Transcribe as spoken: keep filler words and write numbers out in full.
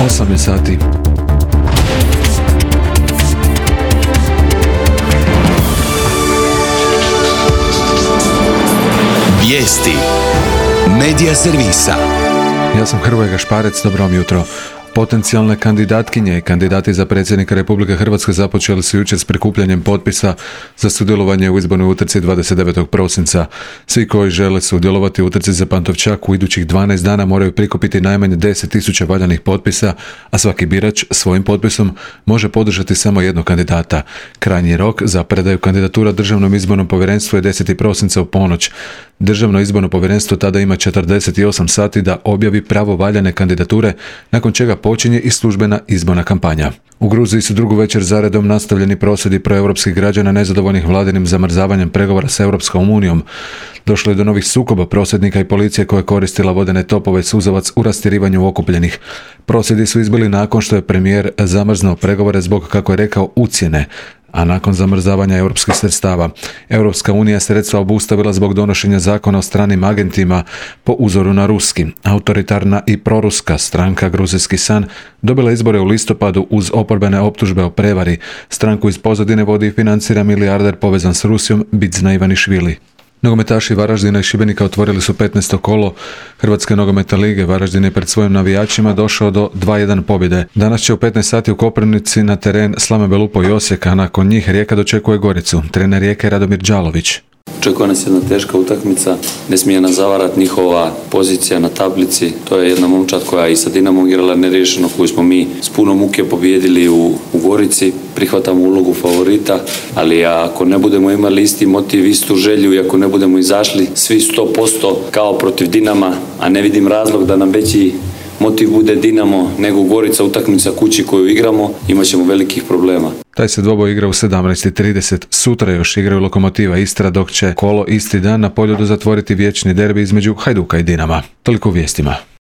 osam je sati. Vijesti Medija servisa. Ja sam Hrvoje Gašparec, dobro vam jutro. Potencijalne kandidatkinje i kandidati za predsjednika Republike Hrvatske započeli su jučer s prikupljanjem potpisa za sudjelovanje u izbornoj utrci dvadeset devetog prosinca. Svi koji žele sudjelovati u utrci za Pantovčak u idućih dvanaest dana moraju prikupiti najmanje deset tisuća valjanih potpisa, a svaki birač svojim potpisom može podržati samo jednog kandidata. Krajnji rok za predaju kandidatura Državnom izbornom povjerenstvu je deseti prosinca u ponoć. Državno izborno povjerenstvo tada ima četrdeset osam sati da objavi pravovaljane kandidature, nakon čega počinje i službena izborna kampanja. U Gruziji su drugu večer zaredom nastavljeni prosvjedi proeuropskih građana nezadovoljnih vladinim zamrzavanjem pregovora s Europskom unijom. Došlo je do novih sukoba prosvjednika i policije koja je koristila vodene topove i suzavac u rastjerivanju okupljenih. Prosvjedi su izbili nakon što je premijer zamrznuo pregovore zbog, kako je rekao, ucjene, a nakon zamrzavanja europskih sredstava. Europska unija sredstva obustavila zbog donošenja zakona o stranim agentima po uzoru na ruski. Autoritarna i proruska stranka Gruzijski san dobila izbore u listopadu uz oporbene optužbe o prevari. Stranku iz pozadine vodi i financira milijarder povezan s Rusijom Bidzna Ivanišvili. Nogometaši Varaždina i Šibenika otvorili su petnaesto kolo Hrvatske nogometne lige. Varaždin je pred svojim navijačima došao do dva jedan pobjede. Danas će u petnaest sati u Koprivnici na teren Slame Belupo i Osijeka, a nakon njih Rijeka dočekuje Goricu. Trener Rijeke Radomir Đalović. Očekuje nas jedna teška utakmica, ne smije nas zavarati njihova pozicija na tablici. To je jedna momčad koja i sa Dinamom igrala neriješeno, koju smo mi s puno muke pobijedili u, u Gorici. Prihvatamo ulogu favorita, ali ako ne budemo imali isti motiv, istu želju i ako ne budemo izašli svi sto posto kao protiv Dinama, a ne vidim razlog da nam veći motiv bude Dinamo nego Gorica, utakmica kući koju igramo, imat ćemo velikih problema. Taj se dvoboj igra u sedamnaest i trideset. Sutra još igraju Lokomotiva Istra, dok će kolo isti dan na Poljudu zatvoriti vječni derbi između Hajduka i Dinama. Toliko u vijestima.